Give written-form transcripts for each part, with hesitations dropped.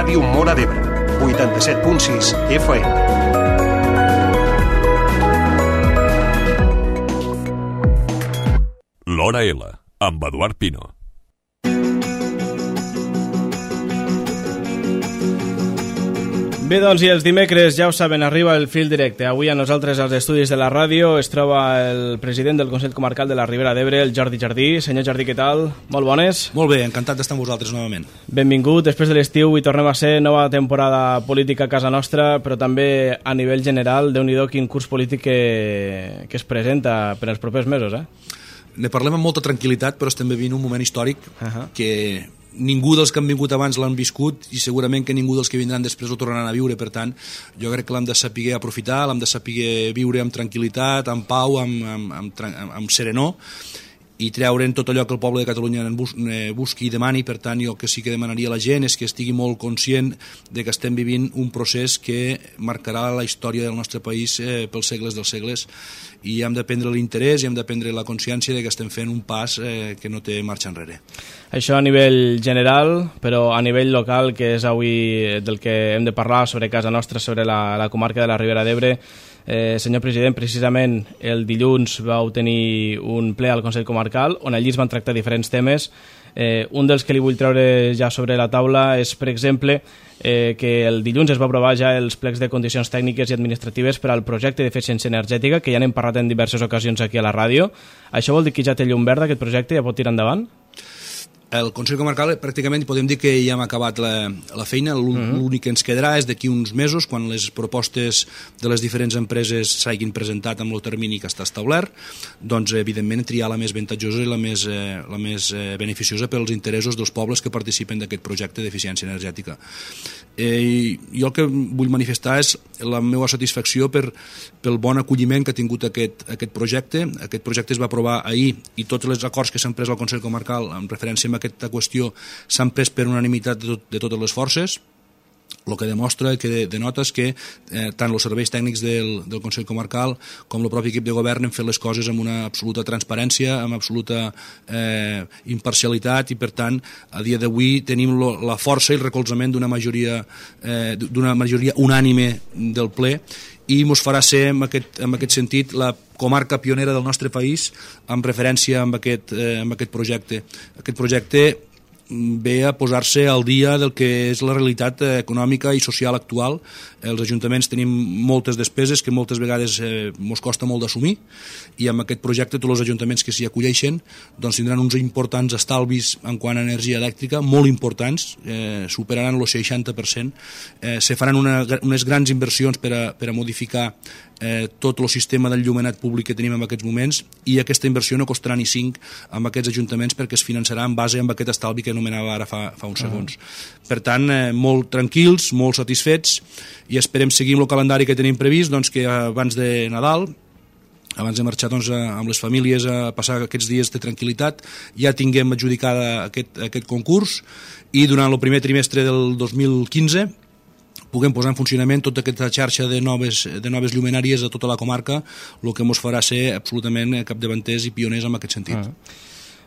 Ràdio Móra d'Ebre, 87.6 FM. L'Hora L, amb Eduard Pino. Bé, doncs, i els dimecres, ja ho saben, arriba el fil directe. Avui a nosaltres, als estudis de la ràdio, es troba el president del Consell Comarcal de la Ribera d'Ebre, el Jordi Jardí. Senyor Jardí, què tal? Molt bones? Molt bé, encantat d'estar amb vosaltres novament. Benvingut, després de l'estiu i tornem a ser nova temporada política a casa nostra, però també a nivell general, Déu-n'hi-do quin curs polític que es presenta per als propers mesos, Ne parlem amb molta tranquil·litat, però estem vivint un moment històric que ningú dels que han vingut abans l'han viscut i segurament que ningú dels que vindran després ho tornaran a viure. Per tant, jo crec que l'hem de saber aprofitar, l'hem de saber viure amb tranquil·litat, amb pau, amb serenor, i treure'n tot allò que el poble de Catalunya busqui i demani. Per tant, jo que sí que demanaria a la gent és que estigui molt conscient de que estem vivint un procés que marcarà la història del nostre país pels segles dels segles, i hem de prendre l'interès i hem de prendre la consciència de que estem fent un pas que no té marxa enrere. Això a nivell general, però a nivell local, que és avui del que hem de parlar sobre casa nostra, sobre la comarca de la Ribera d'Ebre. Senyor president, precisament el dilluns vau tenir un ple al Consell Comarcal on allí es van tractar diferents temes. Un dels que li vull treure ja sobre la taula és, per exemple, que el dilluns es va aprovar ja els plecs de condicions tècniques i administratives per al projecte d'eficiència energètica, que ja n'hem parlat en diverses ocasions aquí a la ràdio. Això vol dir que ja té llum verda aquest projecte, ja pot tirar endavant? El Consell Comarcal pràcticament podem dir que ja hem acabat la feina. L'únic que ens quedarà és d'aquí uns mesos, quan les propostes de les diferents empreses s'hagin presentat amb el termini que està establert, doncs evidentment triar la més avantatjosa i la més beneficiosa pels interessos dels pobles que participen d'aquest projecte d'eficiència energètica. Jo el que vull manifestar és la meva satisfacció pel bon acolliment que ha tingut aquest projecte. Aquest projecte es va aprovar ahir i tots els acords que s'han pres al Consell Comarcal en referència a aquesta qüestió s'han pres per unanimitat de totes les forces, el que demostra, que denota és que tant els serveis tècnics del Consell Comarcal com el propi equip de govern han fet les coses amb una absoluta transparència, amb absoluta imparcialitat, i per tant a dia d'avui tenim la força i el recolzament d'una majoria unànime del ple, i ens farà ser en aquest sentit la comarca pionera del nostre país en referència amb aquest projecte. Aquest projecte ve a posar-se al dia del que és la realitat econòmica i social actual. Els ajuntaments tenim moltes despeses que moltes vegades ens costa molt d'assumir, i amb aquest projecte tots els ajuntaments que s'hi acolleixen doncs tindran uns importants estalvis en quant a energia elèctrica, molt importants, superaran el 60%. Se faran unes grans inversions per a modificar tot el sistema d'enllumenat públic que tenim en aquests moments, i aquesta inversió no costarà ni 5 amb aquests ajuntaments, perquè es finançarà en base amb aquest estalvi que anomenava ara fa uns segons. Per tant, molt tranquils, molt satisfets, i esperem seguir amb el calendari que tenim previst, doncs que abans de Nadal, abans de marxar amb les famílies a passar aquests dies de tranquil·litat, ja tinguem adjudicada aquest concurs, i durant el primer trimestre del 2015 puguem posar en funcionament tota aquesta xarxa de noves llumenàries a tota la comarca, el que ens farà ser absolutament capdavanters i pioners en aquest sentit.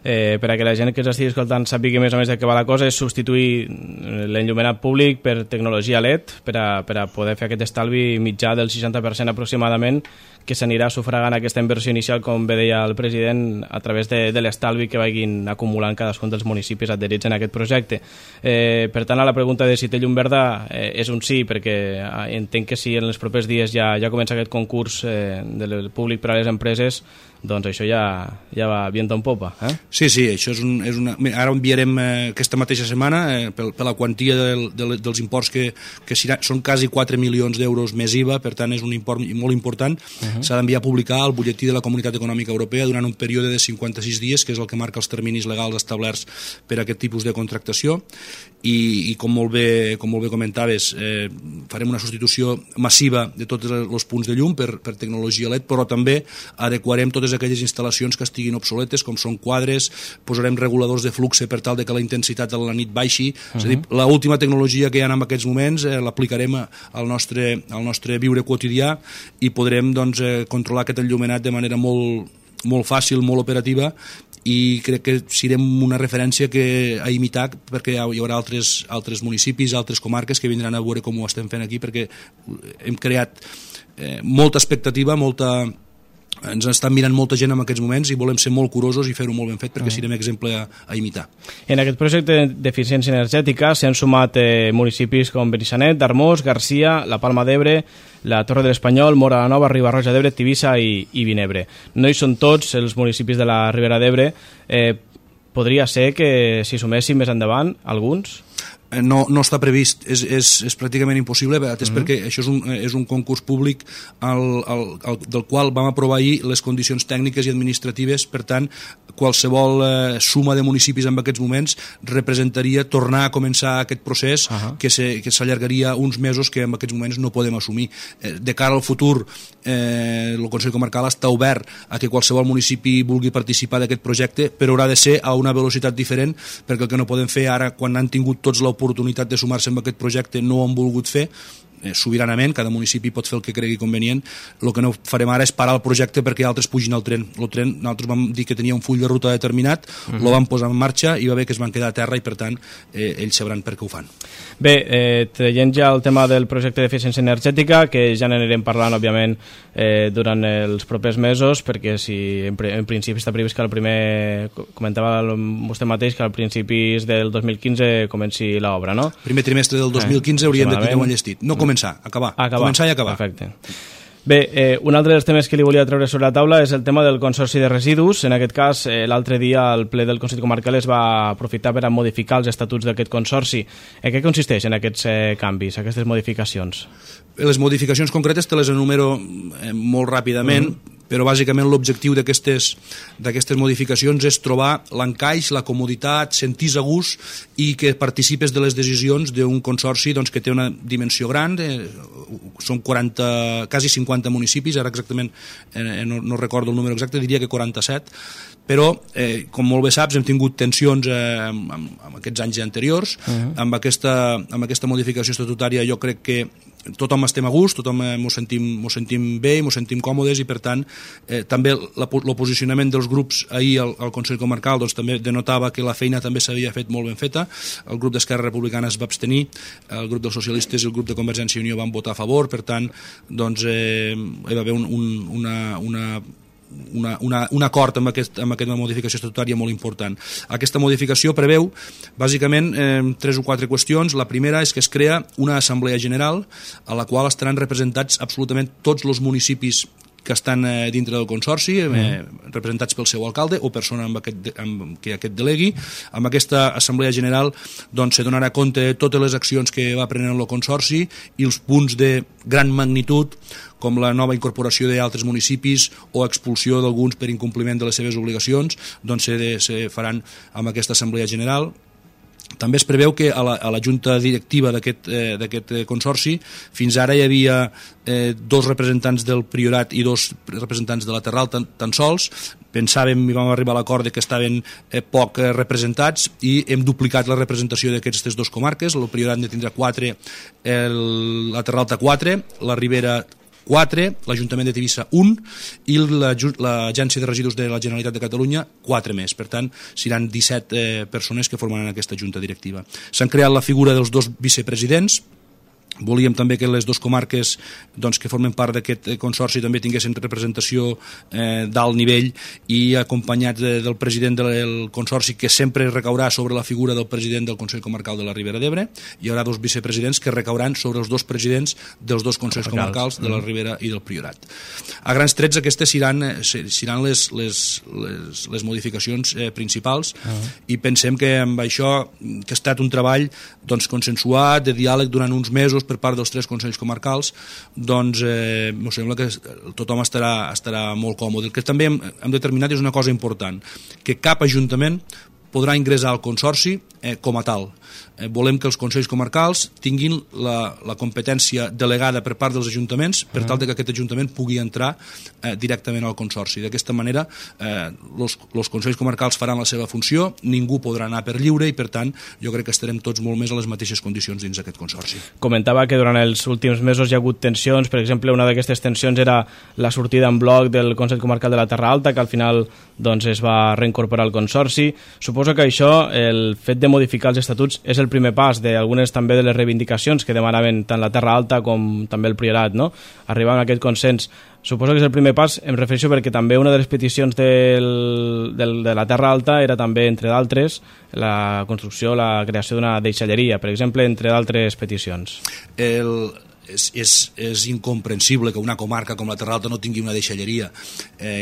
Per a que la gent que ens estigui escoltant sàpiga més o més de què va la cosa, és substituir l'enllumenat públic per tecnologia LED per a poder fer aquest estalvi mitjà del 60% aproximadament, que s'anirà sufragant aquesta inversió inicial, com bé deia el president, a través de l'estalvi que vagin acumulant cadascun dels municipis adherits en aquest projecte. Per tant, a la pregunta de si té llum verda és un sí, perquè entenc que si en els propers dies ja comença aquest concurs del públic per a les empreses, doncs això ja va viento en popa. Sí, això és una... Ara enviarem aquesta mateixa setmana per la quantia dels imports que són quasi 4 milions d'euros més IVA, per tant és un import molt important. S'ha d'enviar a publicar al butlletí de la Comunitat Econòmica Europea durant un període de 56 dies, que és el que marca els terminis legals establerts per a aquest tipus de contractació, i com molt bé comentaves, farem una substitució massiva de tots els punts de llum per tecnologia LED, però també adequarem totes aquelles instal·lacions que estiguin obsoletes, com són quadres, posarem reguladors de flux per tal de que la intensitat de la nit baixi. És a dir, l'última tecnologia que hi ha en aquests moments l'aplicarem al nostre viure quotidià, i podrem controlar aquest enllumenat de manera molt fàcil, molt operativa, i crec que serem una referència a imitar, perquè hi haurà altres municipis, altres comarques que vindran a veure com ho estem fent aquí, perquè hem creat molta expectativa, ens estan mirant molta gent en aquests moments i volem ser molt curosos i fer-ho molt ben fet perquè serem exemple a imitar. En aquest projecte d'eficiència energètica s'han sumat municipis com Benissanet, Darmós, Garcia, la Palma d'Ebre, la Torre de l'Espanyol, Móra la Nova, Riba-roja d'Ebre, Tivissa i Vinebre. No hi són tots els municipis de la Ribera d'Ebre. Podria ser que s'hi sumessin més endavant alguns? No està previst, és pràcticament impossible, atès perquè això és un concurs públic del qual vam aprovar ahir les condicions tècniques i administratives. Per tant, qualsevol suma de municipis en aquests moments representaria tornar a començar aquest procés que s'allargaria uns mesos que en aquests moments no podem assumir. De cara al futur, el Consell Comarcal està obert a que qualsevol municipi vulgui participar d'aquest projecte, però haurà de ser a una velocitat diferent, perquè el que no podem fer ara, quan han tingut tots l'oportunitat de sumar-se en aquest projecte, no ho han volgut fer sobiranament, cada municipi pot fer el que cregui convenient. El que no farem ara és parar el projecte perquè altres pugin al tren. El tren, nosaltres vam dir que tenia un full de ruta determinat, lo vam posar en marxa i va bé que es van quedar a terra i per tant ells sabran per què ho fan. Bé, traient ja el tema del projecte d'eficiència energètica, que ja n'anirem parlant òbviament durant els propers mesos, perquè si en principi està previst que el primer, comentava vostè mateix, que al principis del 2015 comenci l'obra, no? Primer trimestre del 2015 hauríem de tenir un enllestit. No començar, acabar. Començar i acabar. Perfecte. Bé, un altre dels temes que li volia treure sobre la taula és el tema del Consorci de Residus. En aquest cas, l'altre dia el ple del Consell Comarcal es va aprofitar per a modificar els estatuts d'aquest consorci. En què consisteixen aquests canvis, aquestes modificacions? Les modificacions concretes te les enumero molt ràpidament, però bàsicament l'objectiu d'aquestes modificacions és trobar l'encaix, la comoditat, sentir-se a gust i que participes de les decisions d'un consorci que té una dimensió gran, són quasi 50 municipis, ara exactament no recordo el número exacte, diria que 47, però, com molt bé saps, hem tingut tensions en aquests anys anteriors. Amb aquesta modificació estatutària jo crec que tothom estem a gust, tothom m'ho sentim bé, m'ho sentim còmodes i per tant també el posicionament dels grups ahir al Consell Comarcal també denotava que la feina també s'havia fet molt ben feta. El grup d'Esquerra Republicana es va abstenir, el grup dels socialistes i el grup de Convergència i Unió van votar a favor, per tant hi va haver un acord amb aquesta modificació estatutària molt important. Aquesta modificació preveu bàsicament 3 o 4 qüestions. La primera és que es crea una assemblea general a la qual estaran representats absolutament tots els municipis que estan dintre del consorci, representats pel seu alcalde o persona que aquest delegui. Amb aquesta assemblea general se donarà compte de totes les accions que va prenent el consorci i els punts de gran magnitud, com la nova incorporació d'altres municipis o expulsió d'alguns per incompliment de les seves obligacions, se faran amb aquesta assemblea general. També es preveu que a la junta directiva d'aquest consorci fins ara hi havia 2 representants del Priorat i 2 representants de la Terral tan sols. Pensàvem i vam arribar a l'acord que estaven poc representats i hem duplicat la representació d'aquestes 2 comarques. El Priorat ne tindrà 4, la Terral té 4, la Ribera 4, l'Ajuntament de Tivissa 1 i l'Agència de Residus de la Generalitat de Catalunya 4 més. Per tant, seran 17 persones que formaran aquesta junta directiva. S'han creat la figura dels 2 vicepresidents. Volíem també que les 2 comarques que formen part d'aquest consorci també tinguessin representació d'alt nivell i acompanyats del president del consorci, que sempre recaurà sobre la figura del president del Consell Comarcal de la Ribera d'Ebre. Hi haurà 2 vicepresidents que recauran sobre els 2 presidents dels 2 consells comarcals de la Ribera i del Priorat. A grans trets aquestes seran les modificacions principals i pensem que amb això, que ha estat un treball consensuat, de diàleg durant uns mesos per part dels 3 consells comarcals, em sembla que tothom estarà molt còmode. El que també hem determinat és una cosa important, que cap ajuntament podrà ingressar al consorci com a tal. Volem que els consells comarcals tinguin la competència delegada per part dels ajuntaments per tal que aquest ajuntament pugui entrar directament al consorci. D'aquesta manera, els consells comarcals faran la seva funció, ningú podrà anar per lliure i, per tant, jo crec que estarem tots molt més a les mateixes condicions dins aquest consorci. Comentava que durant els últims mesos hi ha hagut tensions. Per exemple, una d'aquestes tensions era la sortida en bloc del Consell Comarcal de la Terra Alta, que al final doncs, es va reincorporar al consorci. Suposo que això, el fet de modificar els estatuts, és el primer pas d'algunes també de les reivindicacions que demanaven tant la Terra Alta com també el Priorat, no? Arribar a aquest consens. Suposo que és el primer pas, em refereixo perquè també una de les peticions de la Terra Alta era també, entre d'altres, la construcció, la creació d'una deixalleria, per exemple, entre d'altres peticions. És incomprensible que una comarca com la Terra Alta no tingui una deixalleria.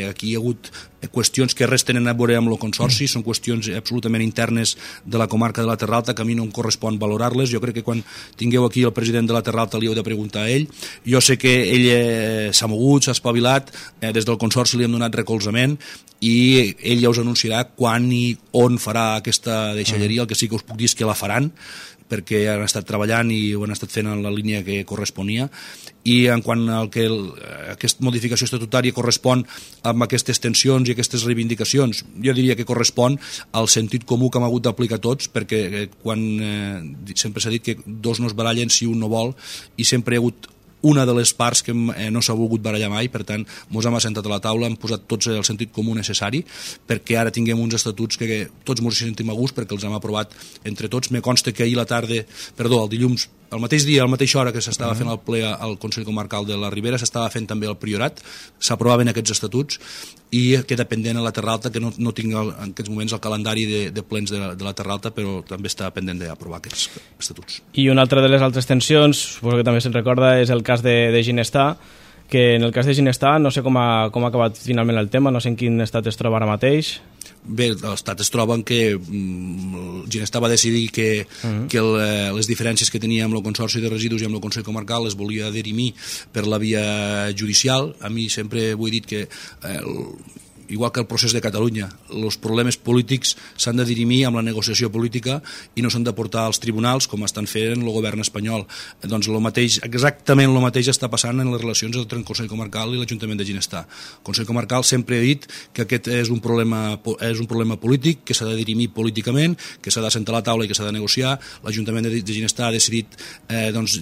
Aquí hi ha hagut qüestions que res tenen a veure amb el consorci, són qüestions absolutament internes de la comarca de la Terra Alta que a mi no em correspon valorar-les. Jo crec que quan tingueu aquí el president de la Terra Alta li heu de preguntar a ell. Jo sé que ell s'ha mogut, s'ha espavilat, des del consorci li hem donat recolzament i ell ja us anunciarà quan i on farà aquesta deixalleria. El que sí que us puc dir és que la faran, perquè han estat treballant i ho han estat fent en la línia que corresponia, i en quant al que aquesta modificació estatutària correspon amb aquestes tensions i aquestes reivindicacions, jo diria que correspon al sentit comú que hem hagut d'aplicar tots, perquè sempre s'ha dit que dos no es barallen si un no vol, i sempre hi ha hagut una de les parts que no s'ha volgut barallar mai. Per tant, ens hem assentat a la taula, hem posat tots el sentit comú necessari perquè ara tinguem uns estatuts que tots ens sentim a gust perquè els hem aprovat entre tots. Me consta que ahir el dilluns, el mateix dia, a la mateixa hora que s'estava fent el ple al Consell Comarcal de la Ribera, s'estava fent també el Priorat, s'aprovaven aquests estatuts i queda pendent a la Terra Alta, que no tinc en aquests moments el calendari de plens de la Terra Alta, però també està pendent d'aprovar aquests estatuts. I una altra de les altres tensions, suposo que també se'n recorda, és el cas de Ginestar, que en el cas de Ginestar no sé com ha acabat finalment el tema, no sé en quin estat es troba ara mateix. Bé, l'estat es troba en que Ginestar va decidir que les diferències que tenia amb el Consorci de Residus i amb el Consell Comarcal les volia dirimir per la via judicial. A mi sempre ho he dit que igual que el procés de Catalunya, els problemes polítics s'han de dirimir amb la negociació política i no s'han de portar als tribunals com estan fent el govern espanyol. Doncs exactament el mateix està passant en les relacions entre el Consell Comarcal i l'Ajuntament de Ginestar. El Consell Comarcal sempre ha dit que aquest és un problema polític, que s'ha de dirimir políticament, que s'ha de sentar a la taula i que s'ha de negociar. L'Ajuntament de Ginestar ha decidit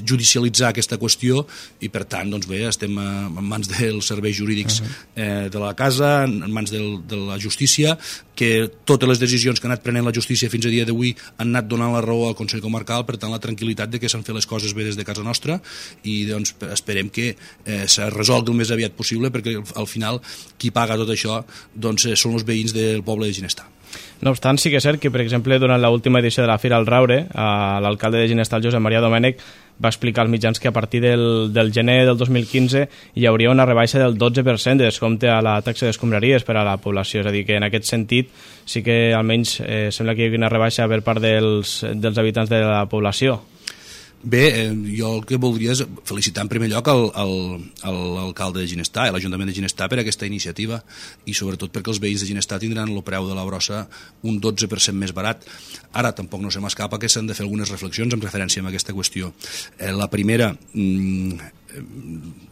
judicialitzar aquesta qüestió i, per tant, estem en mans dels serveis jurídics de la casa, en mans de la justícia, que totes les decisions que ha anat prenent la justícia fins a dia d'avui han anat donant la raó al Consell Comarcal, per tant la tranquil·litat de que s'han fet les coses bé des de casa nostra i esperem que se resolgui el més aviat possible, perquè al final qui paga tot això són els veïns del poble de Ginestar. No obstant, sí que és cert que, per exemple, durant l'última edició de la Fira al Raure, l'alcalde de Ginestar, Josep Maria Domènech, va explicar als mitjans que a partir del gener del 2015 hi hauria una rebaixa del 12% de descompte a la taxa d'escombraries per a la població. És a dir, que en aquest sentit sí que almenys sembla que hi hagi una rebaixa per part dels habitants de la població. Bé, jo el que voldria és felicitar en primer lloc l'alcalde de Ginestar i l'Ajuntament de Ginestar per aquesta iniciativa i sobretot perquè els veïns de Ginestar tindran el preu de la brossa un 12% més barat. Ara tampoc no se m'escapa que s'han de fer algunes reflexions en referència a aquesta qüestió. La primera,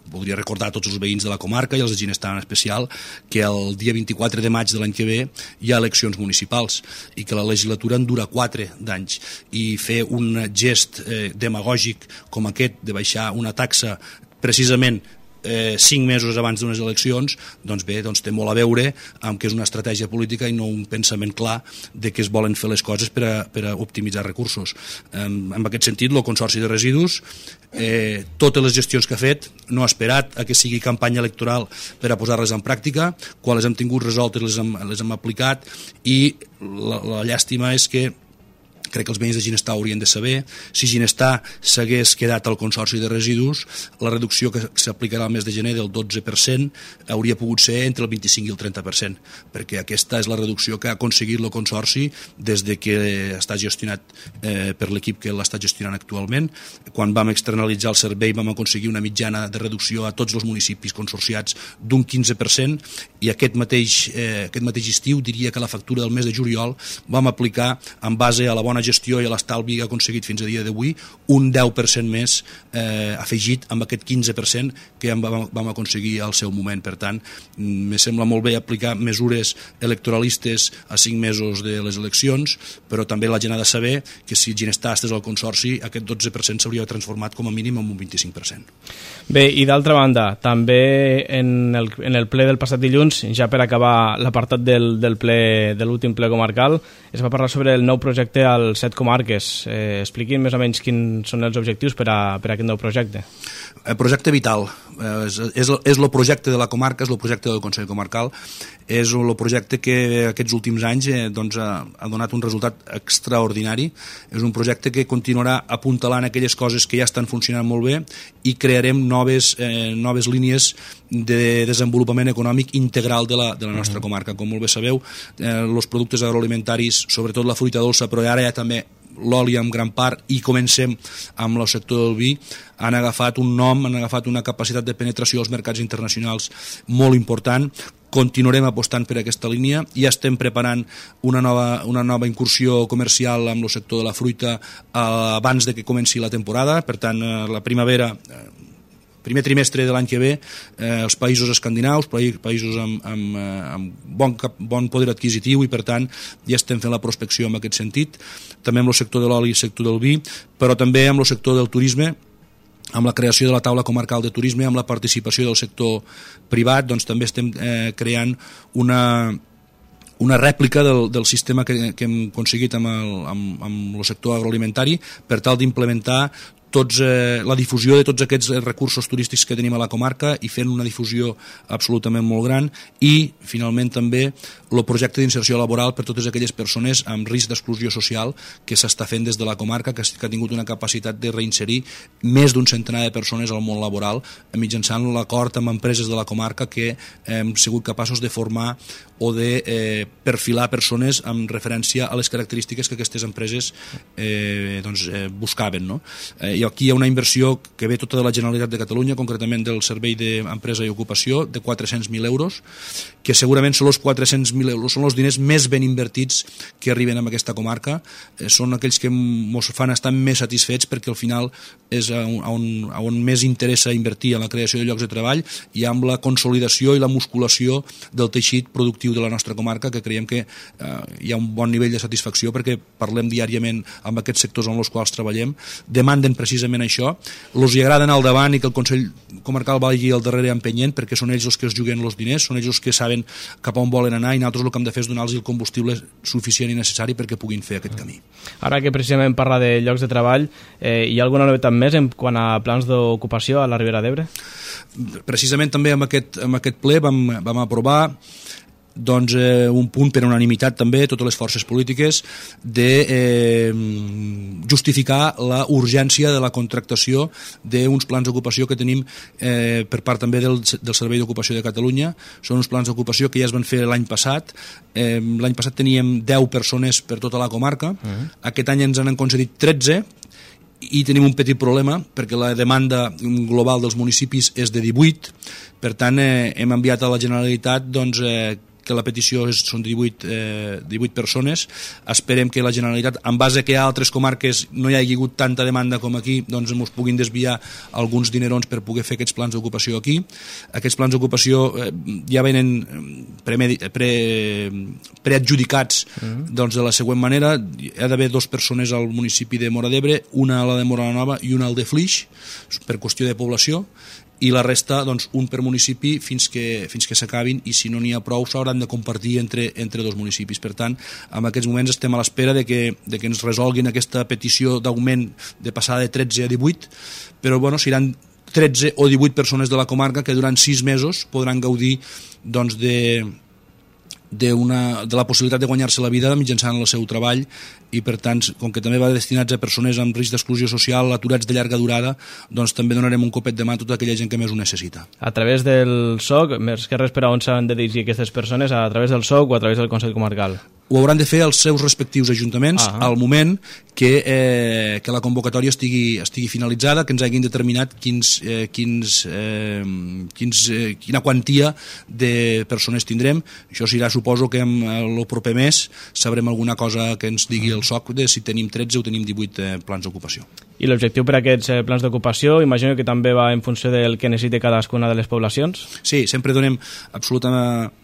voldria recordar a tots els veïns de la comarca i els de Ginestar en especial que el dia 24 de maig de l'any que ve hi ha eleccions municipals i que la legislatura en dura 4 d'anys i fer un gest demagògic com aquest de baixar una taxa precisament 5 mesos abans d'unes eleccions, doncs bé, té molt a veure amb que és una estratègia política i no un pensament clar de que es volen fer les coses per a optimitzar recursos. En aquest sentit, el Consorci de Residus, totes les gestions que ha fet, no ha esperat a que sigui campanya electoral per a posar-les en pràctica. Quan les hem tingut resoltes les hem aplicat i la llàstima és que crec que els veïns de Ginestar haurien de saber, si Ginestar s'hagués quedat al Consorci de Residus, la reducció que s'aplicarà al mes de gener del 12% hauria pogut ser entre el 25 i el 30%, perquè aquesta és la reducció que ha aconseguit el Consorci des de que està gestionat per l'equip que l'està gestionant actualment. Quan vam externalitzar el servei vam aconseguir una mitjana de reducció a tots els municipis consorciats d'un 15% i aquest mateix estiu, diria que la factura del mes de juliol vam aplicar en base a la bona bona gestió i a l'estalvi ha aconseguit fins a dia d'avui un 10% més afegit amb aquest 15% que vam aconseguir al seu moment. Per tant, me sembla molt bé aplicar mesures electoralistes a 5 mesos de les eleccions, però també la gent ha de saber que si Ginestar estàs al Consorci, aquest 12% s'hauria transformat com a mínim en un 25%. Bé, i d'altra banda, també en el ple del passat dilluns, ja per acabar l'apartat de l'últim ple comarcal, es va parlar sobre el nou projecte als 7 comarques. Expliquin més o menys quins són els objectius per a aquest nou projecte. El projecte vital és el projecte de la comarca, és el projecte del Consell Comarcal, és el projecte que aquests últims anys ha donat un resultat extraordinari. És un projecte que continuarà apuntalant aquelles coses que ja estan funcionant molt bé i crearem noves línies de desenvolupament econòmic integral de la nostra comarca. Com molt bé sabeu, els productes agroalimentaris, sobretot la fruita dolça, però ara ja també l'oli en gran part, i comencem amb el sector del vi, han agafat un nom, han agafat una capacitat de penetració als mercats internacionals molt important. Continuarem apostant per aquesta línia i estem preparant una nova incursió comercial amb el sector de la fruita abans de que comenci la temporada. Per tant, la primavera, primer trimestre de l'any que ve, els països escandinaus, països amb bon poder adquisitiu, i per tant ja estem fent la prospecció en aquest sentit, també amb el sector de l'oli i el sector del vi, però també amb el sector del turisme, amb la creació de la taula comarcal de turisme, amb la participació del sector privat. Doncs també estem creant una rèplica del sistema que hem aconseguit amb el sector agroalimentari per tal d'implementar la difusió de tots aquests recursos turístics que tenim a la comarca i fent una difusió absolutament molt gran, i finalment també el projecte d'inserció laboral per totes aquelles persones amb risc d'exclusió social que s'està fent des de la comarca, que ha tingut una capacitat de reinserir més d'un centenar de persones al món laboral mitjançant l'acord amb empreses de la comarca que hem sigut capaços de formar o de perfilar persones amb referència a les característiques que aquestes empreses buscaven, no? I aquí hi ha una inversió que ve tota de la Generalitat de Catalunya, concretament del Servei d'Empresa i Ocupació, de 400.000 euros, que segurament són els 400.000 euros, són els diners més ben invertits que arriben a aquesta comarca. Són aquells que ens fan estar més satisfets, perquè al final és on més interessa invertir en la creació de llocs de treball i amb la consolidació i la musculació del teixit productiu de la nostra comarca, que creiem que hi ha un bon nivell de satisfacció perquè parlem diàriament amb aquests sectors amb els quals treballem, demanden precisament això, els hi agrada anar al davant i que el Consell Comarcal vagi al darrere empenyent, perquè són ells els que es juguen els diners, són ells els que saben cap on volen anar, i nosaltres el que hem de fer és donar-los el combustible suficient i necessari perquè puguin fer aquest camí. Ara que precisament parla de llocs de treball, hi ha alguna novetat més en quant a plans d'ocupació a la Ribera d'Ebre? Precisament també amb aquest ple vam aprovar un punt per unanimitat també, totes les forces polítiques, de justificar la urgència de la contractació d'uns plans d'ocupació que tenim per part també del Servei d'Ocupació de Catalunya. Són uns plans d'ocupació que ja es van fer l'any passat. L'any passat teníem 10 persones per tota la comarca. Aquest any ens han concedit 13, i tenim un petit problema perquè la demanda global dels municipis és de 18. Per tant, hem enviat a la Generalitat que la petició són 18 persones. Esperem que la Generalitat, en base que a altres comarques no hi hagi hagut tanta demanda com aquí, doncs ens puguin desviar alguns dinerons per poder fer aquests plans d'ocupació aquí. Aquests plans d'ocupació ja venen preadjudicats de la següent manera. Hi ha d'haver 2 persones al municipi de Móra d'Ebre, una a la de Móra la Nova i una al de Flix, per qüestió de població, i la resta, un per municipi fins que s'acabin, i si no n'hi ha prou s'hauran de compartir entre 2 municipis. Per tant, en aquests moments estem a l'espera de que ens resolguin aquesta petició d'augment de passar de 13 a 18, però seran 13 o 18 persones de la comarca que durant 6 mesos podran gaudir de la possibilitat de guanyar-se la vida mitjançant el seu treball, i per tant, com que també va destinats a persones amb risc d'exclusió social, aturats de llarga durada, doncs també donarem un copet de mà a tota aquella gent que més ho necessita. A través del SOC, més que res, per a on s'han de dirigir aquestes persones? A través del SOC o a través del Consell Comarcal? ho hauran de fer els seus respectius ajuntaments al moment que la convocatòria estigui finalitzada, que ens hagin determinat quina quantia de persones tindrem. Això serà, suposo que el proper mes sabrem alguna cosa que ens digui el SOC de si tenim 13 o tenim 18 plans d'ocupació. I l'objectiu per a aquests plans d'ocupació, imagino que també va en funció del que necessiti cadascuna de les poblacions? Sí, sempre donem absoluta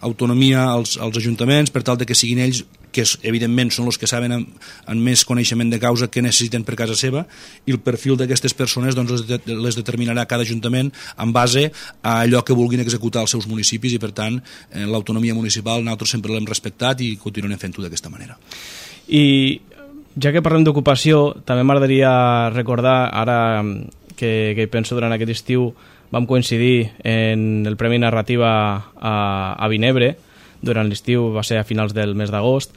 autonomia als ajuntaments per tal de que siguin ells, que evidentment són els que saben amb més coneixement de causa què necessiten per casa seva, i el perfil d'aquestes persones doncs, les determinarà cada ajuntament en base a allò que vulguin executar als seus municipis, i per tant l'autonomia municipal nosaltres sempre l'hem respectat i continuarem fent-ho d'aquesta manera. I ja que parlem d'ocupació, també m'agradaria recordar, ara que penso durant aquest estiu vam coincidir en el Premi Narrativa a Vinebre, durant l'estiu, va ser a finals del mes d'agost,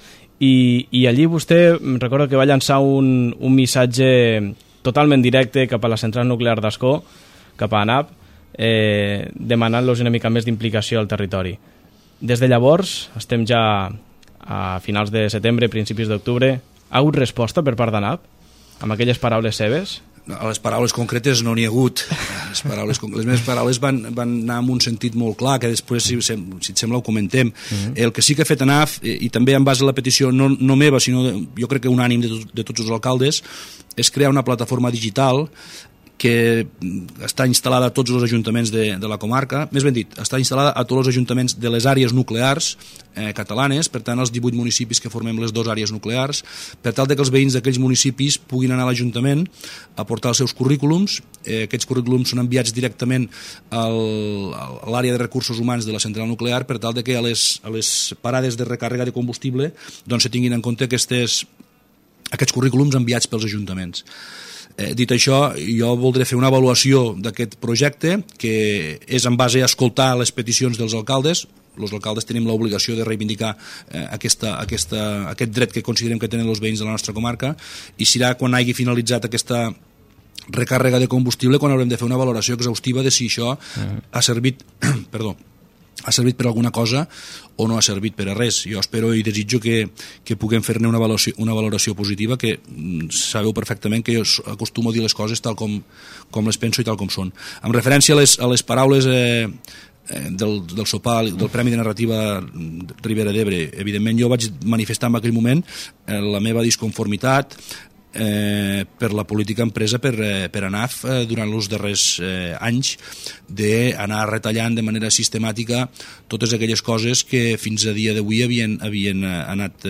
i allí vostè recordo que va llançar un missatge totalment directe cap a la central nuclear d'Ascó, cap a ANAP, demanant-los una mica més d'implicació al territori. Des de llavors, estem ja a finals de setembre, principis d'octubre, ha hagut resposta per part d'ANAP amb aquelles paraules seves? A les paraules concretes no n'hi ha hagut. Les meves paraules van anar en un sentit molt clar, que després, si et sembla, ho comentem. El que sí que ha fet ANAF, i també en base a la petició no meva, sinó jo crec que unànim de tots els alcaldes, és crear una plataforma digital que està instal·lada a tots els ajuntaments de la comarca, més ben dit, està instal·lada a tots els ajuntaments de les àrees nuclears catalanes, per tant els 18 municipis que formem les 2 àrees nuclears, per tal que els veïns d'aquells municipis puguin anar a l'Ajuntament a portar els seus currículums. Aquests currículums són enviats directament a l'àrea de recursos humans de la central nuclear, per tal que a les parades de recàrrega de combustible doncs se tinguin en compte aquests currículums enviats pels ajuntaments. Dit això, jo voldré fer una avaluació d'aquest projecte, que és en base a escoltar les peticions dels alcaldes. Els alcaldes tenim l'obligació de reivindicar aquest dret que considerem que tenen els veïns de la nostra comarca, i serà quan hagi finalitzat aquesta recàrrega de combustible quan haurem de fer una valoració exhaustiva de si això ha servit per alguna cosa o no ha servit per a res. Jo espero i desitjo que puguem fer-ne una valoració positiva, que sabeu perfectament que jo acostumo a dir les coses tal com les penso i tal com són. En referència a les paraules del sopar, del Premi de Narrativa Ribera d'Ebre, evidentment jo vaig manifestar en aquell moment la meva disconformitat per la política empresa per ANAF durant els darrers anys, d'anar retallant de manera sistemàtica totes aquelles coses que fins a dia d'avui havien anat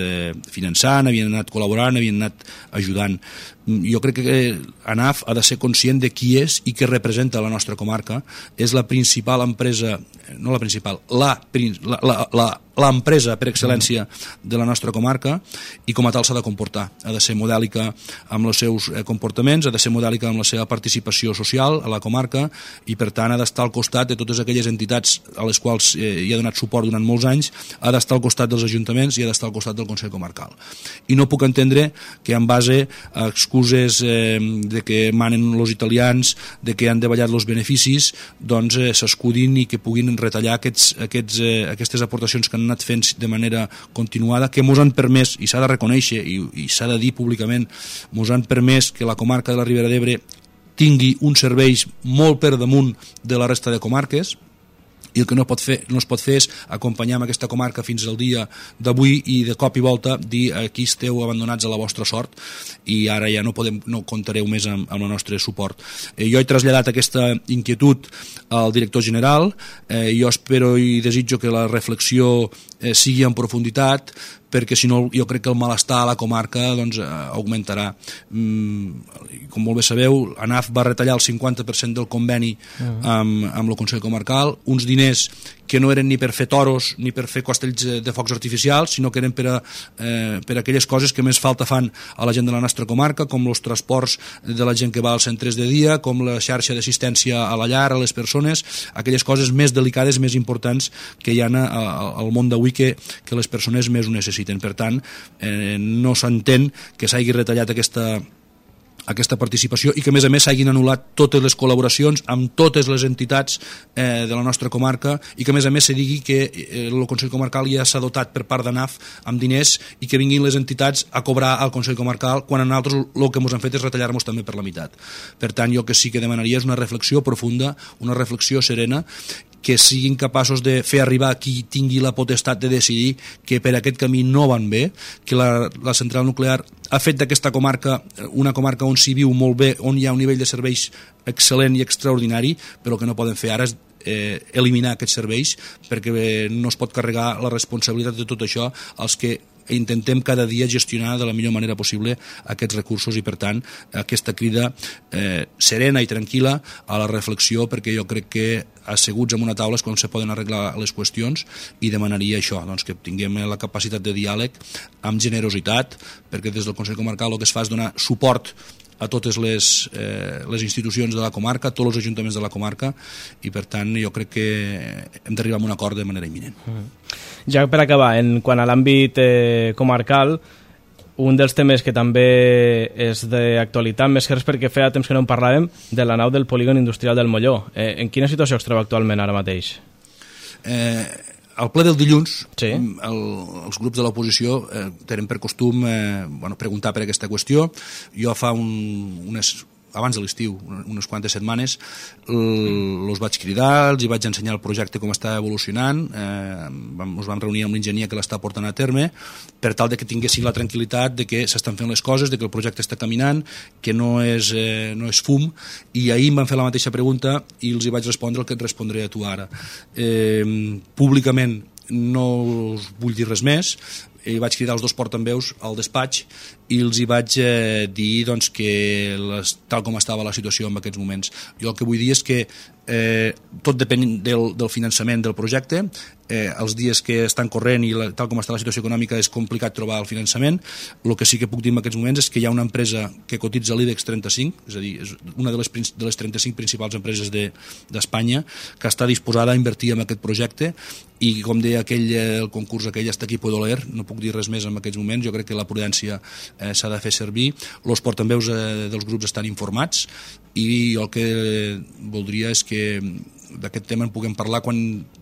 finançant, havien anat col·laborant, havien anat ajudant. Jo crec que ANAF ha de ser conscient de qui és i què representa la nostra comarca. És la principal empresa, no la principal, l'empresa per excel·lència de la nostra comarca, i com a tal s'ha de comportar. Ha de ser modèlica amb els seus comportaments, ha de ser modèlica amb la seva participació social a la comarca, i per tant ha d'estar al costat de totes aquelles entitats a les quals hi ha donat suport durant molts anys, ha d'estar al costat dels ajuntaments i ha d'estar al costat del Consell Comarcal. I no puc entendre que en base a excuses de que manen els italians, de que han davallat els beneficis, doncs s'escudin i que puguin retallar aquestes aportacions que han anat fent de manera continuada, que mos han permès, i s'ha de reconèixer i s'ha de dir públicament, mos han permès que la comarca de la Ribera d'Ebre tingui uns serveis molt per damunt de la resta de comarques, i el que no es pot fer és acompanyar amb aquesta comarca fins al dia d'avui i de cop i volta dir aquí esteu abandonats a la vostra sort i ara ja no comptareu més amb el nostre suport. Jo he traslladat aquesta inquietud al director general, jo espero i desitjo que la reflexió sigui en profunditat, perquè si no jo crec que el malestar a la comarca doncs, augmentarà. Com molt bé sabeu, ANAF va retallar el 50% del conveni amb el Consell Comarcal, uns diners que no eren ni per fer toros ni per fer castells de focs artificials, sinó que eren per aquelles coses que més falta fan a la gent de la nostra comarca, com els transports de la gent que va als centres de dia, com la xarxa d'assistència a la llar, a les persones, aquelles coses més delicades, més importants que hi ha al món d'avui que les persones més ho necessiten. Per tant, no s'entén que s'hagi retallat aquesta participació i que a més s'hagin anul·lat totes les col·laboracions amb totes les entitats de la nostra comarca i que a més se digui que el Consell Comarcal ja s'ha dotat per part d'ANAF amb diners i que vinguin les entitats a cobrar al Consell Comarcal quan a nosaltres el que ens han fet és retallar-nos també per la meitat. Per tant, jo que sí que demanaria és una reflexió profunda, una reflexió serena, que siguin capaços de fer arribar qui tingui la potestat de decidir que per aquest camí no van bé, que la central nuclear ha fet d'aquesta comarca una comarca on s'hi viu molt bé, on hi ha un nivell de serveis excel·lent i extraordinari, però el que no poden fer ara és eliminar aquests serveis perquè no es pot carregar la responsabilitat de tot això als que intentem cada dia gestionar de la millor manera possible aquests recursos i per tant aquesta crida serena i tranquil·la a la reflexió, perquè jo crec que asseguts en una taula és quan se poden arreglar les qüestions i demanaria això, doncs, que tinguem la capacitat de diàleg amb generositat, perquè des del Consell Comarcal el que es fa és donar suport a totes les institucions de la comarca, a tots els ajuntaments de la comarca i per tant jo crec que hem d'arribar a un acord de manera imminent. Ja per acabar, quant a l'àmbit comarcal, un dels temes que també és d'actualitat, més que res perquè feia temps que no en parlàvem, de la nau del polígon industrial del Molló. En quina situació es troba actualment ara mateix? Al ple del dilluns, sí. Els grups de l'oposició tenen per costum preguntar per aquesta qüestió. Jo fa abans de l'estiu, unes quantes setmanes, els vaig cridar, els vaig ensenyar el projecte com està evolucionant, ens vam reunir amb l'enginyer que l'està portant a terme, per tal de que tinguessin la tranquil·litat de que s'estan fent les coses, de que el projecte està caminant, que no és fum, i ahir em van fer la mateixa pregunta i els hi vaig respondre el que et respondré a tu ara. Públicament no us vull dir res més, i vaig cridar els dos portaveus al despatx i els hi vaig dir doncs, que tal com estava la situació en aquests moments. Jo el que vull dir és que tot depèn del finançament del projecte, els dies que estan corrent i tal com està la situació econòmica és complicat trobar el finançament. El que sí que puc dir en aquests moments és que hi ha una empresa que cotitza a l'IBEX 35, és a dir, és una de les 35 principals empreses d'Espanya que està disposada a invertir en aquest projecte i com deia el concurs aquell hasta aquí puedo leer, no puc dir res més en aquests moments. Jo crec que la prudència s'ha de fer servir, els portaveus dels grups estan informats i jo el que voldria és que d'aquest tema en puguem parlar quan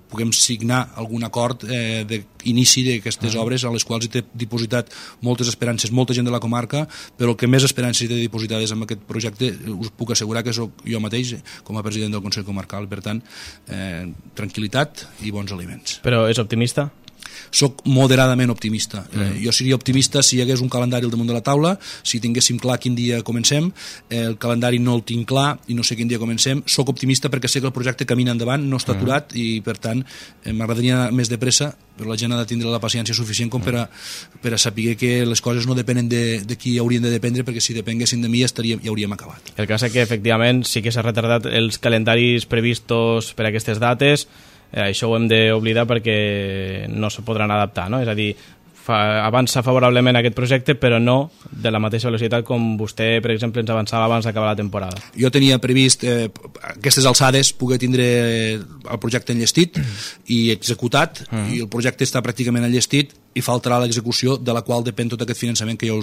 puguem signar algun acord d'inici d'aquestes obres a les quals hi té dipositat moltes esperances, molta gent de la comarca, però el que més esperances hi té dipositades en aquest projecte us puc assegurar que sóc jo mateix com a president del Consell Comarcal. Per tant, tranquil·litat i bons aliments. Però és optimista? Soc moderadament optimista. Jo seria optimista si hi hagués un calendari al damunt de la taula, si tinguéssim clar quin dia comencem. El calendari no el tinc clar i no sé quin dia comencem. Soc optimista perquè sé que el projecte camina endavant, no està aturat i per tant m'agradaria anar més de pressa, però la gent ha de tindre la paciència suficient com per a saber que les coses no depenen de qui haurien de dependre, perquè si depenguessin de mi ja hauríem acabat. El cas és que efectivament sí que s'ha retardat els calendaris previstos per a aquestes dates. Això ho hem d'oblidar perquè no se podran adaptar, no? És a dir, avança favorablement aquest projecte, però no de la mateixa velocitat com vostè, per exemple, ens avançava abans d'acabar la temporada. Jo tenia previst aquestes alçades poder tindre el projecte enllestit i executat, i el projecte està pràcticament enllestit i faltarà l'execució, de la qual depèn tot aquest finançament que ja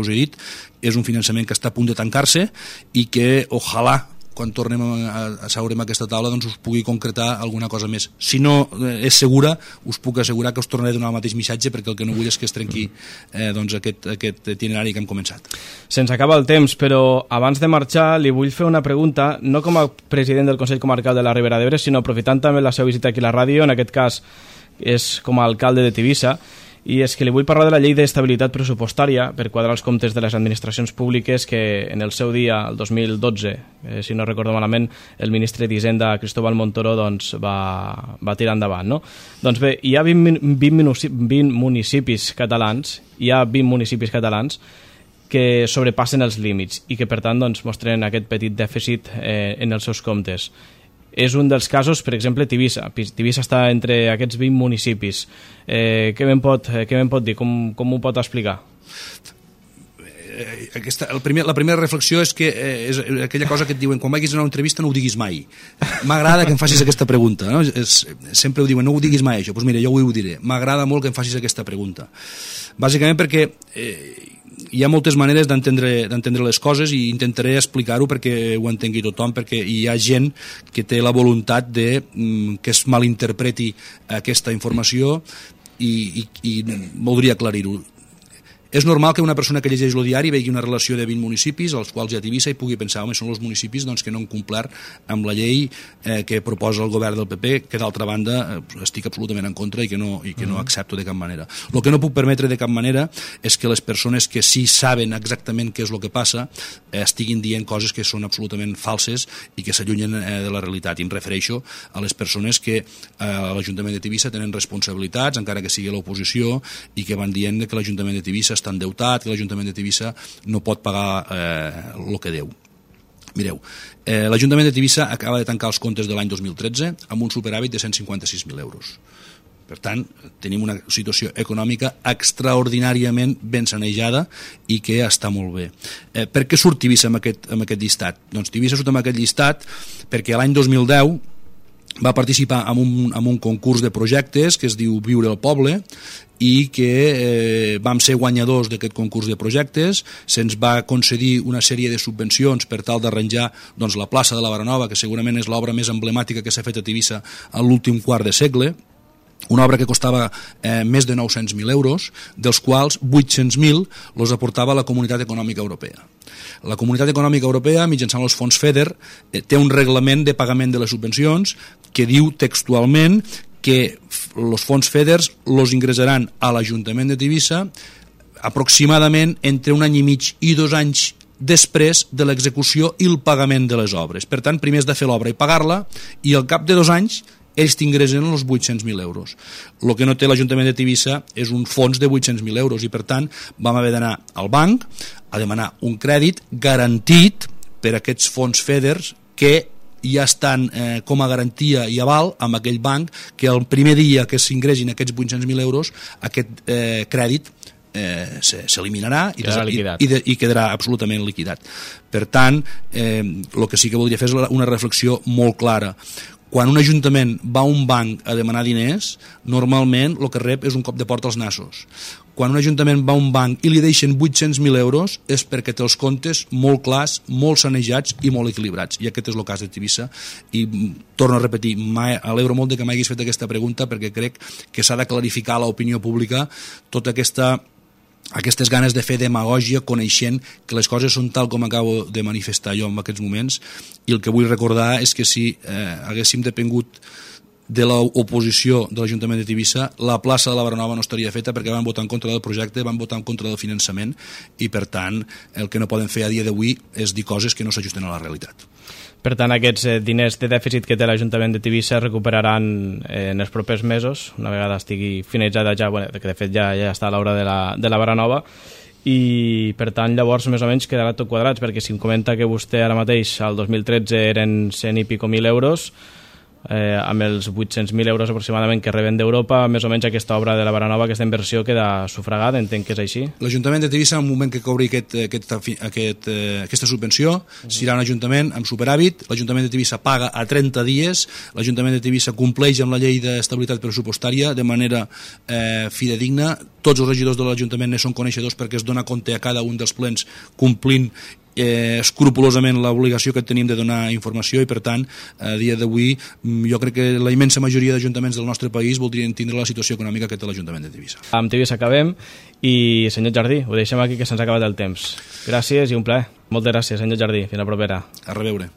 us he dit. És un finançament que està a punt de tancar-se i que, ojalà, quan tornem a seure en aquesta taula doncs us pugui concretar alguna cosa més. Si no és segura, us puc assegurar que us tornaré a donar el mateix missatge, perquè el que no vull és que es trenqui aquest itinerari que hem començat. Se'ns acaba el temps, però abans de marxar li vull fer una pregunta, no com a president del Consell Comarcal de la Ribera d'Ebre, sinó aprofitant també la seva visita aquí a la ràdio, en aquest cas és com a alcalde de Tivissa, i és que li vull parlar de la llei d'estabilitat pressupostària per quadrar els comptes de les administracions públiques que en el seu dia, el 2012, si no recordo malament, el ministre d'Hisenda, Cristóbal Montoro, doncs, va tirar endavant, no? Doncs bé, hi ha 20 municipis catalans, que sobrepassen els límits i que, per tant, doncs, mostren aquest petit dèficit en els seus comptes. És un dels casos, per exemple, Tivissa. Tivissa està entre aquests 20 municipis. Què me'n pot dir? Com ho pot explicar? La primera reflexió és que és aquella cosa que et diuen quan vagis a una entrevista no ho diguis mai. M'agrada que em facis aquesta pregunta, no? Sempre ho diuen, no ho diguis mai això. Doncs mira, jo ho diré. M'agrada molt que em facis aquesta pregunta. Bàsicament perquè hi ha moltes maneres d'entendre les coses i intentaré explicar-ho perquè ho entengui tothom, perquè hi ha gent que té la voluntat de que es malinterpreti aquesta informació i voldria aclarir-ho. És normal que una persona que llegeix el diari vegi una relació de 20 municipis, als quals hi ha Tivissa, i pugui pensar, home, són els municipis que no han complert amb la llei que proposa el govern del PP, que d'altra banda estic absolutament en contra i que no accepto de cap manera. El que no puc permetre de cap manera és que les persones que sí saben exactament què és el que passa estiguin dient coses que són absolutament falses i que s'allunyen de la realitat. I em refereixo a les persones que a l'Ajuntament de Tivissa tenen responsabilitats, encara que sigui l'oposició, i que van dient que l'Ajuntament de Tivissa està endeutat, que l'Ajuntament de Tivissa no pot pagar el que deu. Mireu, l'Ajuntament de Tivissa acaba de tancar els comptes de l'any 2013 amb un superàvit de 156.000 euros. Per tant, tenim una situació econòmica extraordinàriament ben sanejada i que està molt bé. Per què surt Tivissa amb aquest llistat? Doncs Tivissa surt amb aquest llistat perquè l'any 2010 va participar en un concurs de projectes que es diu Viure al Poble i que vam ser guanyadors d'aquest concurs de projectes. Se'ns va concedir una sèrie de subvencions per tal d'arranjar la plaça de la Baranova, que segurament és l'obra més emblemàtica que s'ha fet a Tivissa en l'últim quart de segle, una obra que costava més de 900.000 euros, dels quals 800.000 els aportava la Comunitat Econòmica Europea. La Comunitat Econòmica Europea, mitjançant els fons FEDER, té un reglament de pagament de les subvencions que diu textualment que els fons FEDER els ingressaran a l'Ajuntament de Tivissa aproximadament entre 1 any i mig i 2 anys després de l'execució i el pagament de les obres. Per tant, primer has de fer l'obra i pagar-la, i al cap de 2 anys ells t'ingressen els 800.000 euros. El que no té l'Ajuntament de Tivissa és un fons de 800.000 euros i, per tant, vam haver d'anar al banc a demanar un crèdit garantit per aquests fons FEDER que ja estan com a garantia i aval amb aquell banc, que el primer dia que s'ingressin aquests 800.000 euros aquest crèdit s'eliminarà i quedarà absolutament liquidat. Per tant, el que sí que voldria fer és una reflexió molt clara. Quan un ajuntament va a un banc a demanar diners, normalment el que rep és un cop de porta als nassos. Quan un ajuntament va a un banc i li deixen 800.000 euros és perquè té els comptes molt clars, molt sanejats i molt equilibrats. I aquest és el cas de Tivissa. I torno a repetir, alegro molt de que m'haguis fet aquesta pregunta, perquè crec que s'ha de clarificar a l'opinió pública tota aquestes ganes de fer demagògia coneixent que les coses són tal com acabo de manifestar jo en aquests moments, i el que vull recordar és que si haguéssim depengut de l'oposició de l'Ajuntament de Tivissa, la plaça de la Baranova no estaria feta, perquè van votar en contra del projecte, van votar en contra del finançament, i per tant el que no poden fer a dia d'avui és dir coses que no s'ajusten a la realitat. Per tant, aquests diners de dèficit que té l'Ajuntament de Tivissa recuperaran en els propers mesos, una vegada estigui finalitzada ja, que de fet ja està a l'obra de la Baranova, i per tant llavors més o menys quedarà tot quadrats, perquè si em comenta que vostè ara mateix al 2013 eren 100 i pico mil euros, amb els 800.000 euros aproximadament que reben d'Europa, més o menys aquesta obra de la Baranova, aquesta inversió queda sufragada, entenc que és així? L'Ajuntament de Tivissa, en el moment que cobri aquesta subvenció, serà un ajuntament amb superàvit. L'Ajuntament de Tivissa paga a 30 dies, l'Ajuntament de Tivissa compleix amb la llei d'estabilitat pressupostària de manera fidedigna. Tots els regidors de l'Ajuntament ne són coneixedors perquè es dona compte a cada un dels plens complint escrupolosament l'obligació que tenim de donar informació, i per tant a dia d'avui jo crec que la immensa majoria d'ajuntaments del nostre país voldrien tindre la situació econòmica que té l'Ajuntament de Tivissa. Amb Tivissa acabem, i senyor Jardí, ho deixem aquí que se'ns ha acabat el temps. Gràcies i un plaer. Moltes gràcies, senyor Jardí. Fins la propera. A reveure.